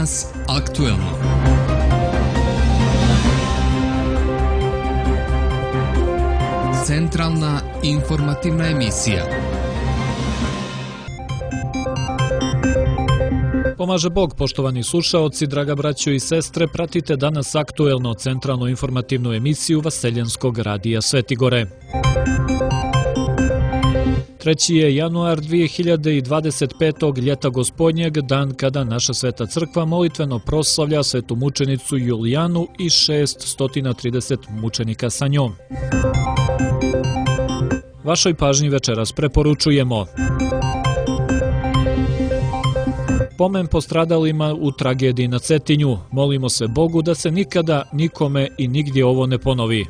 Danas aktuelno. Centralna informativna emisija. Pomaže Bog, poštovani slušaoci, draga braćo i sestre, pratite danas aktuelno centralnu informativnu emisiju Vaseljenskog radija Svetigore. 3. je januar 2025. ljeta gospodnjeg, dan kada naša Sveta crkva molitveno proslavlja svetu mučenicu Julijanu i 630 mučenika sa njom. Vašoj pažnji večeras preporučujemo pomen postradalima u tragediji na Cetinju. Molimo se Bogu da se nikada, nikome i nigdje ovo ne ponovi.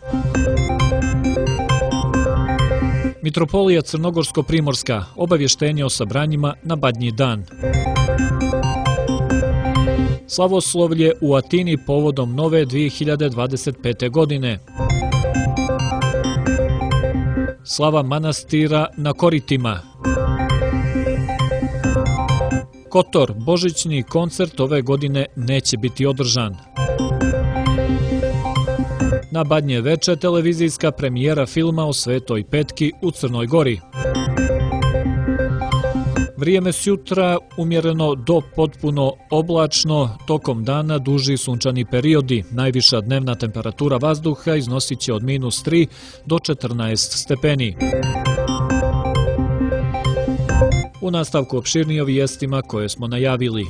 Mitropolija Crnogorsko-Primorska, obavještenje o sabranjima na Badnji dan. Slavoslovlje u Atini povodom nove 2025. godine. Slava manastira na Koritima. Kotor, božićni koncert ove godine neće biti održan. Na Badnje veče televizijska premijera filma o Svetoj Petki u Crnoj Gori. Vrijeme sutra umjereno do potpuno oblačno, tokom dana duži sunčani periodi. Najviša dnevna temperatura vazduha iznosit će od -3 do 14 stepeni. U nastavku opširnije o vijestima koje smo najavili.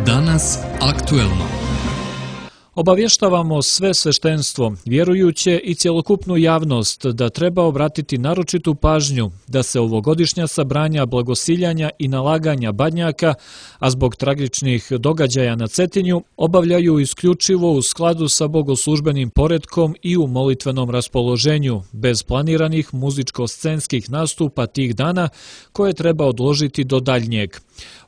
Danas aktuelno. Obavještavamo sve sveštenstvo, vjerujuće i cjelokupnu javnost da treba obratiti naročitu pažnju da se ovogodišnja sabranja blagosiljanja i nalaganja badnjaka, a zbog tragičnih događaja na Cetinju, obavljaju isključivo u skladu sa bogoslužbenim poretkom i u molitvenom raspoloženju, bez planiranih muzičko-scenskih nastupa tih dana koje treba odložiti do daljnjeg.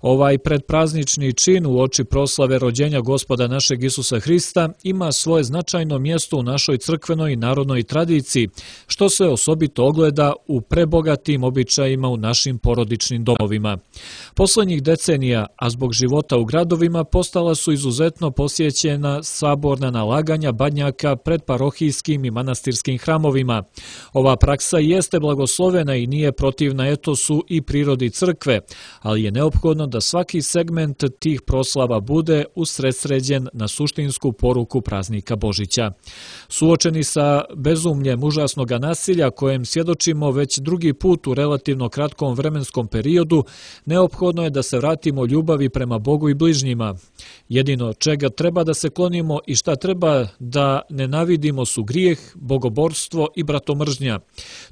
Ovaj predpraznični čin u oči proslave rođenja Gospoda našeg Isusa Hrista ima svoje značajno mjesto u našoj crkvenoj i narodnoj tradiciji, što se osobito ogleda u prebogatim običajima u našim porodičnim domovima. Poslednjih decenija, a zbog života u gradovima, postala su izuzetno posjećena saborna nalaganja badnjaka pred parohijskim i manastirskim hramovima. Ova praksa jeste blagoslovena i nije protivna etosu i prirodi crkve, ali je neophodno da svaki segment tih proslava bude usredsređen na suštinsku poruku praznika Božića. Suočeni sa bezumljem užasnog nasilja kojem svjedočimo već drugi put u relativno kratkom vremenskom periodu, neophodno je da se vratimo ljubavi prema Bogu i bližnjima. Jedino čega treba da se klonimo i šta treba da nenavidimo su grijeh, bogoborstvo i bratomržnja.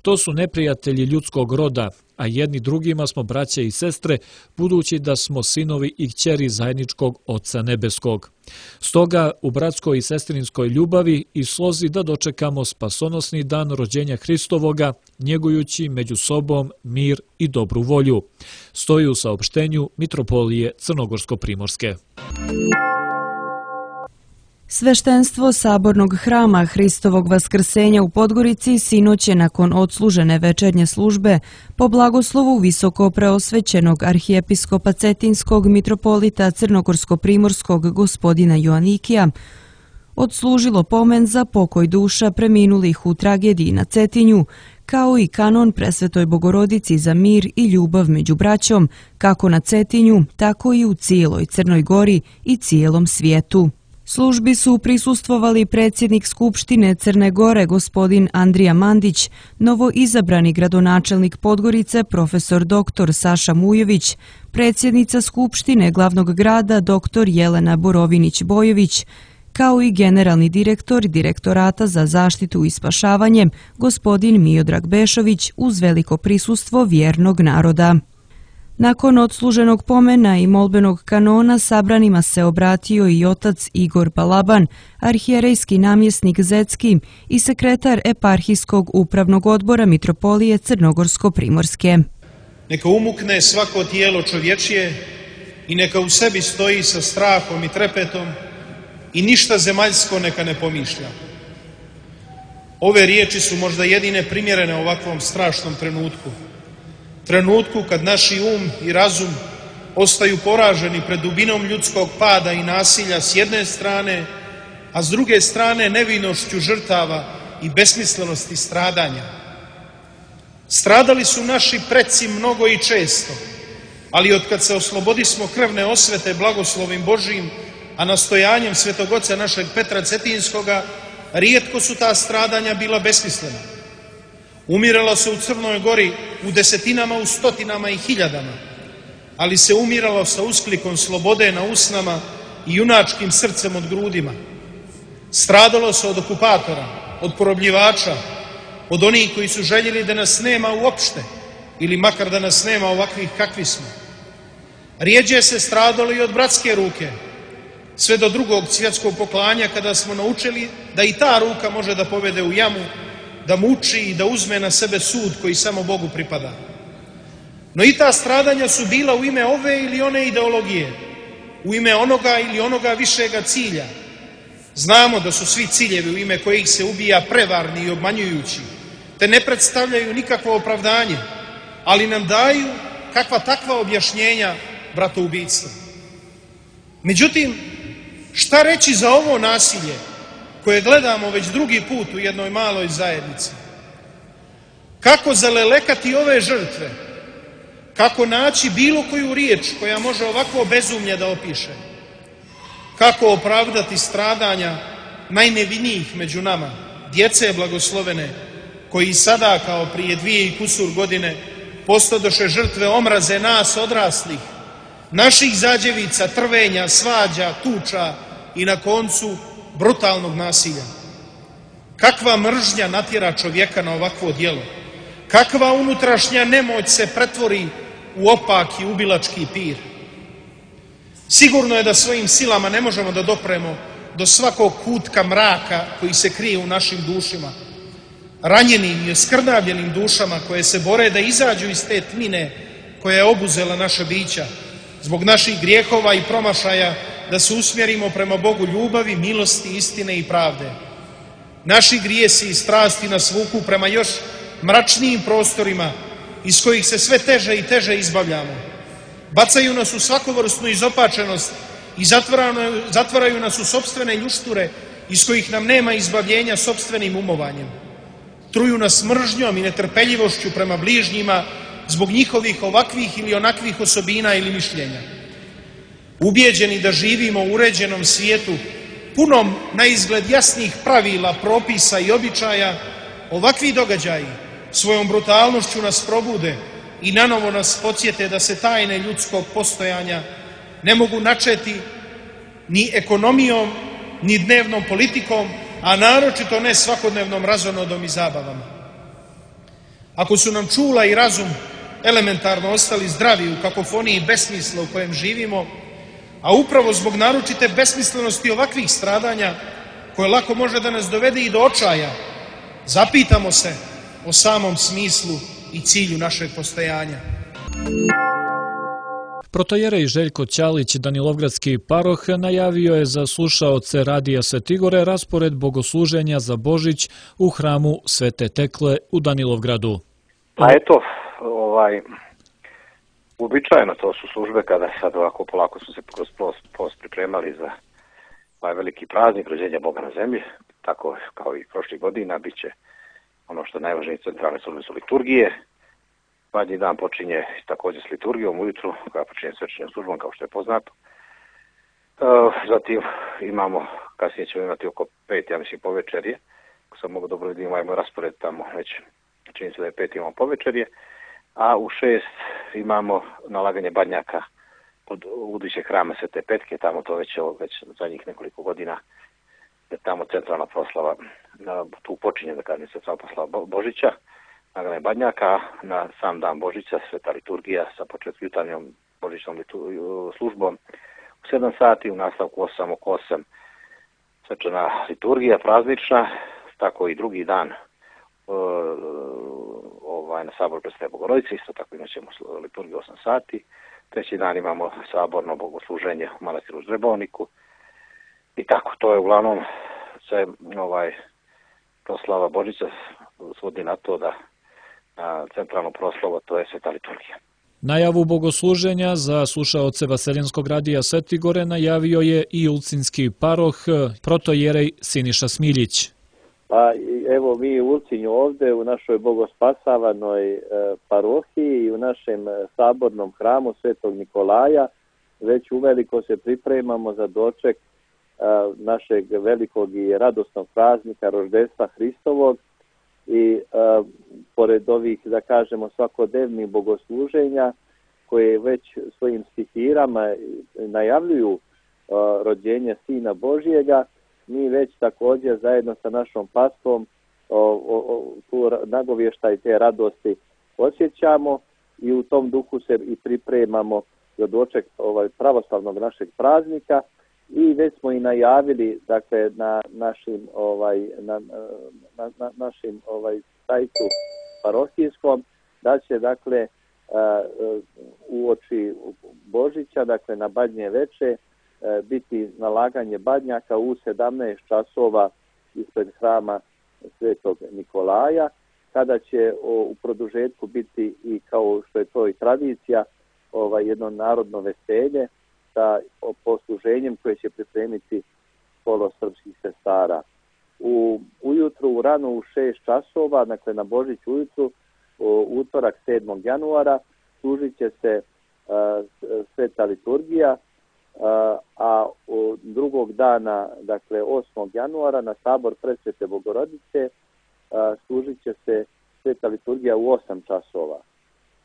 To su neprijatelji ljudskog roda, a jedni drugima smo braća i sestre, budući da smo sinovi i kćeri zajedničkog Oca Nebeskog. Stoga u bratskoj i sestrinskoj ljubavi i slozi da dočekamo spasonosni dan rođenja Hristovoga, njegujući među sobom mir i dobru volju. Stoji u saopštenju Mitropolije Crnogorsko-Primorske. Sveštenstvo Sabornog hrama Hristovog Vaskrsenja u Podgorici sinoć je nakon odslužene večernje službe po blagoslovu visoko preosvećenog arhijepiskopa Cetinskog mitropolita Crnogorsko-Primorskog gospodina Joanikija odslužilo pomen za pokoj duša preminulih u tragediji na Cetinju, kao i kanon Presvetoj Bogorodici za mir i ljubav među braćom, kako na Cetinju, tako i u cijeloj Crnoj Gori i cijelom svijetu. Službi su prisustvovali predsjednik Skupštine Crne Gore gospodin Andrija Mandić, novoizabrani gradonačelnik Podgorice profesor dr. Saša Mujović, predsjednica Skupštine glavnog grada dr. Jelena Borovinić-Bojović, kao i generalni direktor Direktorata za zaštitu i spašavanje gospodin Miodrag Bešović uz veliko prisustvo vjernog naroda. Nakon odsluženog pomena i molbenog kanona sabranima se obratio i otac Igor Balaban, arhijerejski namjesnik Zecki i sekretar eparhijskog upravnog odbora Mitropolije Crnogorsko-Primorske. Neka umukne svako tijelo čovječije i neka u sebi stoji sa strahom i trepetom i ništa zemaljsko neka ne pomišlja. Ove riječi su možda jedine primjerene ovakvom strašnom trenutku. Trenutku kad naši um i razum ostaju poraženi pred dubinom ljudskog pada i nasilja s jedne strane, a s druge strane nevinošću žrtava i besmislenosti stradanja. Stradali su naši preci mnogo i često, ali otkad se oslobodismo krvne osvete blagoslovim Božijim, a nastojanjem Svetog Oca našeg Petra Cetinskoga, rijetko su ta stradanja bila besmislena. Umiralo se u Crnoj Gori u desetinama, u stotinama i hiljadama, ali se umiralo sa usklikom slobode na usnama i junačkim srcem od grudima. Stradalo se od okupatora, od porobljivača, od onih koji su željeli da nas nema uopšte, ili makar da nas nema ovakvih kakvi smo. Rijeđe se stradalo i od bratske ruke, sve do Drugog svjetskog poklanja, kada smo naučili da i ta ruka može da povede u jamu, da muči i da uzme na sebe sud koji samo Bogu pripada. No i ta stradanja su bila u ime ove ili one ideologije, u ime onoga ili onoga višega cilja. Znamo da su svi ciljevi u ime kojih se ubija prevarni i obmanjujući, te ne predstavljaju nikakvo opravdanje, ali nam daju kakva takva objašnjenja bratoubistva. Međutim, šta reći za ovo nasilje koje gledamo već drugi put u jednoj maloj zajednici? Kako zalelekati ove žrtve? Kako naći bilo koju riječ koja može ovakvo bezumlje da opiše? Kako opravdati stradanja najnevinijih među nama, djece blagoslovene, koji sada, kao prije 2 i kusur godine, postadoše žrtve omraze nas odraslih, naših zađevica, trvenja, svađa, tuča i na koncu brutalnog nasilja? Kakva mržnja natjera čovjeka na ovakvo djelo? Kakva unutrašnja nemoć se pretvori u opaki ubilački pir? Sigurno je da svojim silama ne možemo da dopremo do svakog kutka mraka koji se krije u našim dušima, ranjenim i oskrnavljenim dušama koje se bore da izađu iz te tmine koja je obuzela naša bića, zbog naših grijehova i promašaja, da se usmjerimo prema Bogu ljubavi, milosti, istine i pravde. Naši grijesi i strasti nas vuku prema još mračnijim prostorima iz kojih se sve teže i teže izbavljamo. Bacaju nas u svakovrsnu izopačenost i zatvaraju nas u sopstvene ljušture iz kojih nam nema izbavljenja sopstvenim umovanjem. Truju nas mržnjom i netrpeljivošću prema bližnjima zbog njihovih ovakvih ili onakvih osobina ili mišljenja. Ubijeđeni da živimo u uređenom svijetu, punom na izgled jasnih pravila, propisa i običaja, ovakvi događaji svojom brutalnošću nas probude i nanovo nas podsjete da se tajne ljudskog postojanja ne mogu načeti ni ekonomijom, ni dnevnom politikom, a naročito ne svakodnevnom razonodom i zabavama. Ako su nam čula i razum elementarno ostali zdravi u kakofoniji besmisla u kojem živimo, a upravo zbog naročite besmislenosti ovakvih stradanja, koje lako može da nas dovede i do očaja, zapitamo se o samom smislu i cilju našeg postojanja. Protojerej Željko Ćalić, Danilovgradski paroh, najavio je za slušaoce Radija Svetigore raspored bogosluženja za Božić u hramu Svete Tekle u Danilovgradu. Pa eto, uobičajeno to su službe kada sad ovako polako su se kroz post pripremali za ovaj veliki praznik rođenja Boga na zemlji, tako kao i prošlih godina, bit će ono što je najvažnije centralne službe su liturgije. Badnji dan počinje također s liturgijom ujutru, koja počinje svečanom službom, kao što je poznato. Zatim imamo, kasnije ćemo imati oko 5, ja mislim, povečerje. Ako sam mogu dobro vidjeti, imamo raspored tamo već, čini se da je 5 imamo povečerje. A u 6 imamo nalaganje badnjaka od budućeg hrama Svete Petke, tamo to već zadnjih nekoliko godina je tamo centralna proslava, tu počinje, da kažem, centralna proslava Božića, nalaganje badnjaka, na sam dan Božića sveta liturgija sa početkom jutarnjom božićnom službom u 7 sati, u nastavku 8 oko 8 svečana liturgija praznična, tako i drugi dan na Saboru Presvete Bogorodice, isto tako imat ćemo liturgiju 8 sati. Treći dan imamo saborno bogosluženje u manastiru Ždrebovniku i tako, to je uglavnom se proslava Božića svodi na to da na centralnu proslavu, to je Sveta liturgija. Najavu bogosluženja za slušaoce Vaseljenskog radija Svetigore najavio je i ulcinski paroh protojerej Siniša Smiljić. Pa evo mi u Ulcinju ovdje u našoj bogospasavanoj parohiji i u našem sabornom hramu Svetog Nikolaja već uveliko se pripremamo za doček našeg velikog i radosnog praznika roždestva Hristovog i pored ovih, da kažemo, svakodnevnih bogosluženja koje već svojim stihirama najavljuju rođenje Sina Božjega, mi već također zajedno sa našom pastvom tu nagovještaj te radosti osjećamo i u tom duhu se i pripremamo za doček pravoslavnog našeg praznika i već smo i najavili, dakle, na našim sajtu parohijskom da će, dakle, uoči Božića, dakle na Badnje veče, biti nalaganje badnjaka u 17 časova ispred hrama Svetog Nikolaja, kada će u produžetku biti i, kao što je to i tradicija, jedno narodno veselje sa posluženjem koje će pripremiti kolo srpskih sestara. Ujutru, rano u 6 časova, dakle na Božić ujutru, utorak 7. januara, služit će se Sveta liturgija, a drugog dana, dakle 8. januara, na sabor Presvete Bogorodice služit će se Sveta liturgija u 8 časova.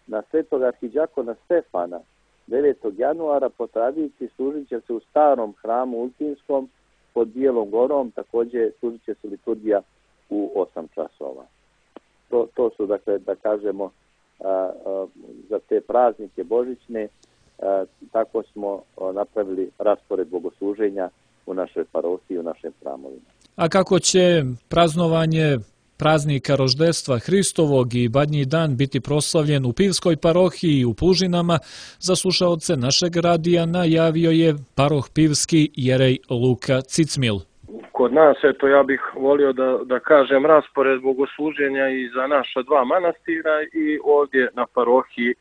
Na Svetog arhidjakona Stefana 9. januara po tradiciji služit će se u starom hramu Ulcinskom pod Bijelom gorom, također služit će se liturgija u 8 časova. To su, dakle, da kažemo, za te praznike božićne, tako smo napravili raspored bogosluženja u našoj parohiji, u našim hramovima. A kako će praznovanje praznika roždestva Hristovog i Badnji dan biti proslavljen u Pivskoj parohiji i u Plužinama, za slušaoce našeg radija najavio je paroh Pivski jerej Luka Cicmil. Kod nas, eto, ja bih volio da kažem raspored bogosluženja i za naša dva manastira i ovdje na parohiji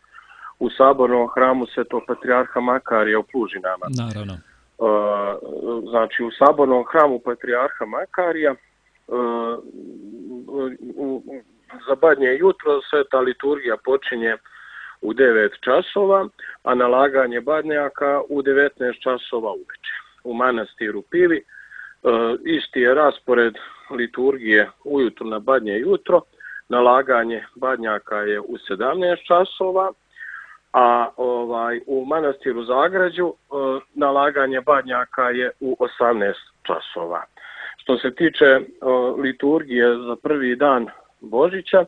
u sabornom hramu Svetog patrijarha Makarija u Plužinama. Naravno. Znači, u sabornom hramu patrijarha Makarija za Badnje jutro Sveta liturgija počinje u 9 časova, a nalaganje badnjaka u 19 časova uveče. U manastiru Pivi isti je raspored liturgije ujutro na Badnje jutro, nalaganje badnjaka je u 17 časova, a u manastiru Zagrađu nalaganje badnjaka je u 18 časova. Što se tiče liturgije za prvi dan Božića,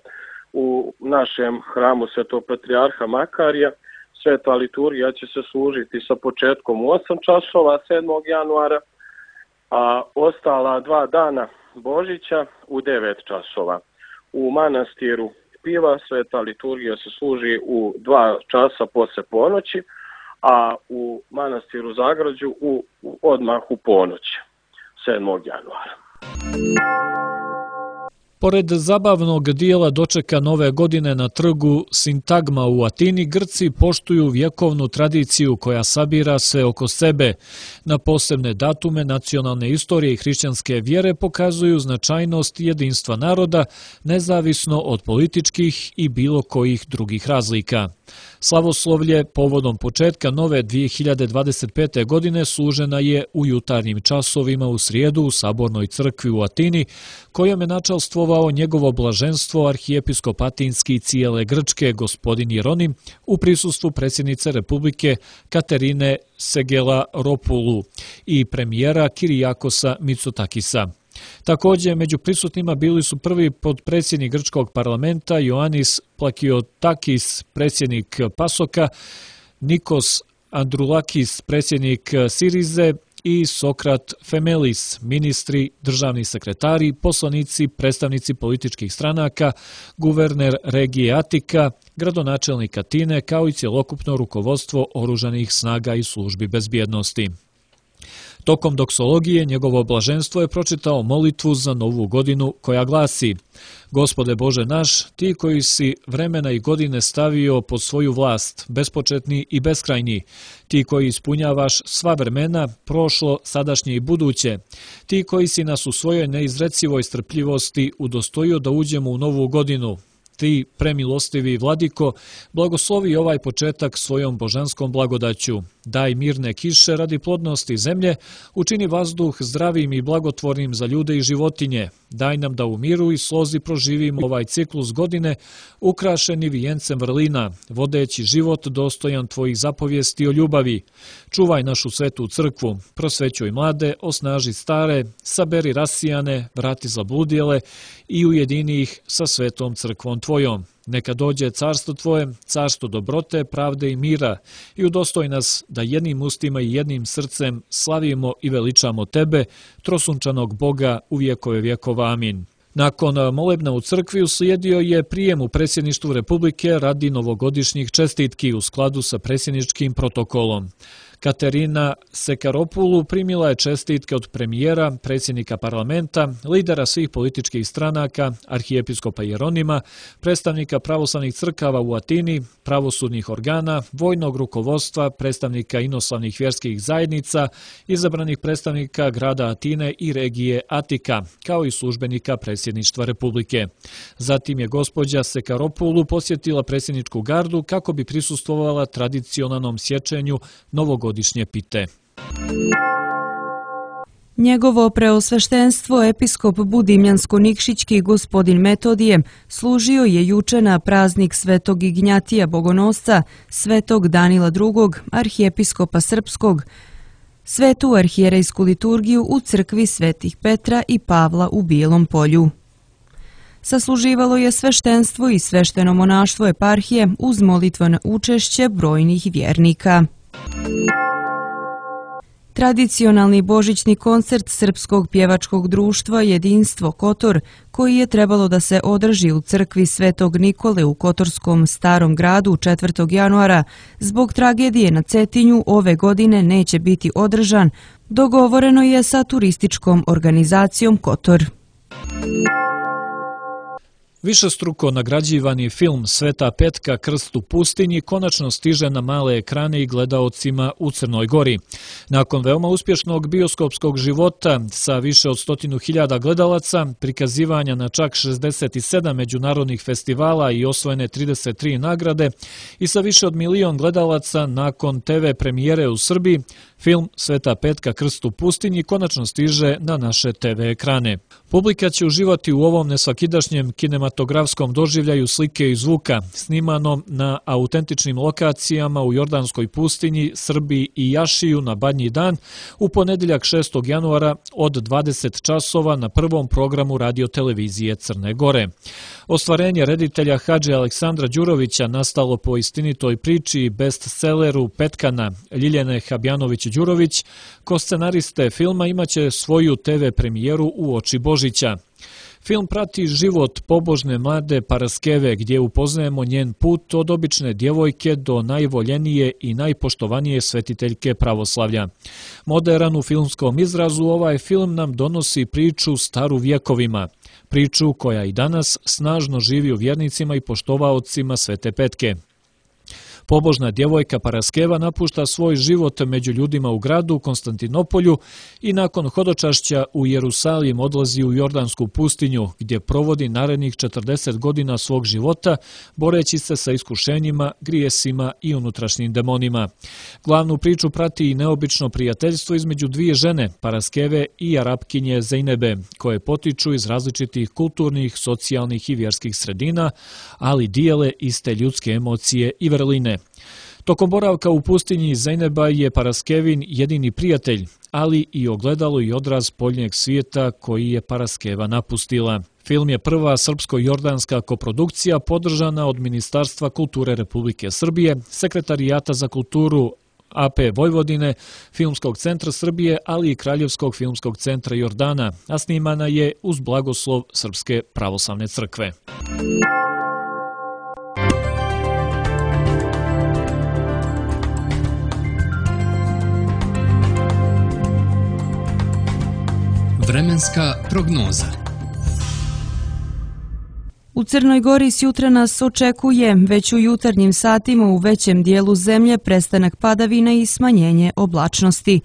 u našem hramu Svetog patrijarha Makarija Sveta liturgija će se služiti sa početkom u 8 časova 7. januara, a ostala 2 dana Božića u 9 časova. U manastiru Piva Sveta liturgija se služi u 2 časa posle ponoći, a u manastiru Zagrađu odmah u ponoć 7. januara. Pored zabavnog dijela dočeka nove godine na trgu Sintagma u Atini, Grci poštuju vjekovnu tradiciju koja sabira se oko sebe. Na posebne datume nacionalne istorije i hrišćanske vjere pokazuju značajnost jedinstva naroda, nezavisno od političkih i bilo kojih drugih razlika. Slavoslovlje povodom početka nove 2025. godine služena je u jutarnjim časovima u srijedu u Sabornoj crkvi u Atini, kojom je načalstvovao njegovo blaženstvo arhijepiskop atinski cijele Grčke gospodin Jeronim u prisustvu predsjednice Republike Katerine Segelaropulu i premijera Kirijakosa Mitsotakisa. Također, među prisutnima bili su prvi potpredsjednik grčkog parlamenta Ioannis Plakiotakis, predsjednik Pasoka, Nikos Androulakis, predsjednik Sirize i Sokrat Femelis, ministri, državni sekretari, poslanici, predstavnici političkih stranaka, guverner regije Atika, gradonačelnik Atine, kao i cjelokupno rukovodstvo oružanih snaga i službi bezbjednosti. Tokom doksologije njegovo blaženstvo je pročitao molitvu za novu godinu koja glasi: Gospode Bože naš, ti koji si vremena i godine stavio pod svoju vlast, bespočetni i beskrajni, ti koji ispunjavaš sva vremena, prošlo, sadašnje i buduće, ti koji si nas u svojoj neizrecivoj strpljivosti udostojio da uđemo u novu godinu, ti, premilostivi vladiko, blagoslovi ovaj početak svojom božanskom blagodaću. Daj mirne kiše radi plodnosti zemlje, učini vazduh zdravim i blagotvornim za ljude i životinje. Daj nam da u miru i slozi proživimo ovaj ciklus godine, ukrašeni vijencem vrlina, vodeći život dostojan tvojih zapovijesti o ljubavi. Čuvaj našu svetu crkvu, prosvećuj mlade, osnaži stare, saberi rasijane, vrati zabludjele i ujedini ih sa svetom crkvom tvojom. Neka dođe carstvo tvoje, carstvo dobrote, pravde i mira i udostoj nas da jednim ustima i jednim srcem slavimo i veličamo tebe, trosunčanog Boga u vjekove vjekova. Amin. Nakon molebna u crkvi uslijedio je prijem u predsjedništvu Republike radi novogodišnjih čestitki u skladu sa predsjedničkim protokolom. Katerina Sekaropulu primila je čestitke od premijera, predsjednika parlamenta, lidera svih političkih stranaka, arhijepiskopa Jeronima, predstavnika pravoslavnih crkava u Atini, pravosudnih organa, vojnog rukovodstva, predstavnika inoslavnih vjerskih zajednica, izabranih predstavnika grada Atine i regije Atika, kao i službenika predsjedništva Republike. Zatim je gospođa Sekaropulu posjetila predsjedničku gardu kako bi prisustvovala tradicionalnom sječenju novogodišnje pite. Njegovo preosveštenstvo episkop Budimljansko-Nikšićki gospodin Metodije služio je juče na praznik svetog Ignjatija Bogonosca, svetog Danila II, arhijepiskopa srpskog, svetu arhijerejsku liturgiju u crkvi svetih Petra i Pavla u Bijelom Polju. Sasluživalo je sveštenstvo i svešteno monaštvo eparhije uz molitveno učešće brojnih vjernika. Tradicionalni božićni koncert Srpskog pjevačkog društva Jedinstvo Kotor, koji je trebalo da se održi u crkvi Svetog Nikole u Kotorskom Starom gradu 4. januara, zbog tragedije na Cetinju ove godine neće biti održan, dogovoreno je sa turističkom organizacijom Kotor. Višestruko nagrađivani film Sveta Petka Krst u pustinji konačno stiže na male ekrane i gledaocima u Crnoj Gori. Nakon veoma uspješnog bioskopskog života sa više od 100.000 gledalaca, prikazivanja na čak 67 međunarodnih festivala i osvojene 33 nagrade i sa više od 1 milion gledalaca nakon TV premijere u Srbiji, film Sveta Petka Krst u pustinji konačno stiže na naše TV ekrane. Publika će uživati u ovom nesvakidašnjem kinematografskom doživljaju slike i zvuka, snimanom na autentičnim lokacijama u Jordanskoj pustinji, Srbiji i Jašiju na Badnji dan u ponedjeljak 6. januara od 20 časova na prvom programu radiotelevizije Crne Gore. Ostvarenje reditelja Hadže Aleksandra Đurovića nastalo po istinitoj priči i bestselleru Petkana Ljiljane Habjanović-Đurović, ko scenariste filma imaće svoju TV premijeru u oči Božića. Film prati život pobožne mlade Paraskeve gdje upoznajemo njen put od obične djevojke do najvoljenije i najpoštovanije svetiteljke pravoslavlja. Moderan u filmskom izrazu, ovaj film nam donosi priču staru vjekovima. Priču koja i danas snažno živi u vjernicima i poštovaocima Svete Petke. Pobožna djevojka Paraskeva napušta svoj život među ljudima u gradu Konstantinopolju i nakon hodočašća u Jerusalim odlazi u Jordansku pustinju, gdje provodi narednih 40 godina svog života, boreći se sa iskušenjima, grijesima i unutrašnjim demonima. Glavnu priču prati i neobično prijateljstvo između dvije žene, Paraskeve i Arapkinje Zejnebe, koje potiču iz različitih kulturnih, socijalnih i vjerskih sredina, ali dijele iste ljudske emocije i vrline. Tokom boravka u pustinji Zejneba je Paraskevin jedini prijatelj, ali i ogledalo i odraz poljnjeg svijeta koji je Paraskeva napustila. Film je prva srpsko-jordanska koprodukcija podržana od Ministarstva kulture Republike Srbije, Sekretarijata za kulturu AP Vojvodine, Filmskog centra Srbije, ali i Kraljevskog filmskog centra Jordana, a snimana je uz blagoslov Srpske pravoslavne crkve. Vremenska prognoza. U Crnoj Gori sjutra nas očekuje već u jutarnjim satima u većem dijelu zemlje prestanak padavina i smanjenje oblačnosti.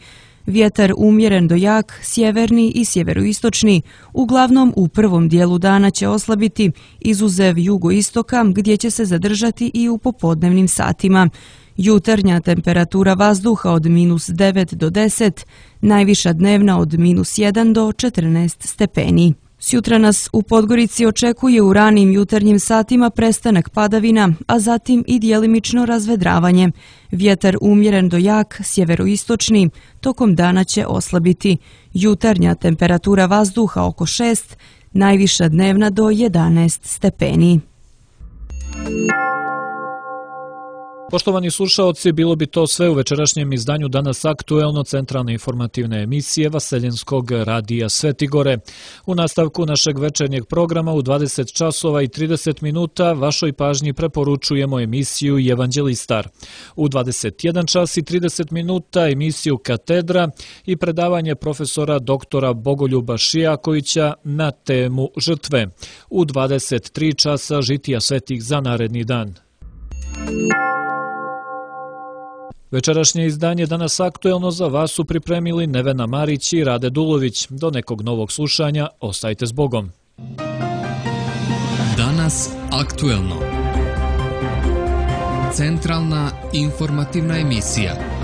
Vjetar umjeren do jak, sjeverni i sjeveroistočni, uglavnom u prvom dijelu dana će oslabiti, izuzev jugoistoka gdje će se zadržati i u popodnevnim satima. Jutarnja temperatura vazduha od -9 do 10, najviša dnevna od -1 do 14 stepeni. Sjutra nas u Podgorici očekuje u ranim jutarnjim satima prestanak padavina, a zatim i djelimično razvedravanje. Vjetar umjeren do jak, sjeveroistočni, tokom dana će oslabiti. Jutarnja temperatura vazduha oko 6, najviša dnevna do 11 stepeni. Poštovani slušaoci, bilo bi to sve u večerašnjem izdanju Danas aktuelno centralne informativne emisije Vaseljenskog radija Svetigore. U nastavku našeg večernjeg programa u 20 časova i 30 minuta vašoj pažnji preporučujemo emisiju Evanđelistar. U 21 čas i 30 minuta emisiju Katedra i predavanje profesora doktora Bogoljuba Šijakovića na temu žrtve. U 23 časa žitija svetih za naredni dan. Večerašnje izdanje Danas aktuelno za vas su pripremili Nevena Marić i Rade Dulović. Do nekog novog slušanja, ostajte s Bogom. Danas aktuelno. Centralna informativna emisija.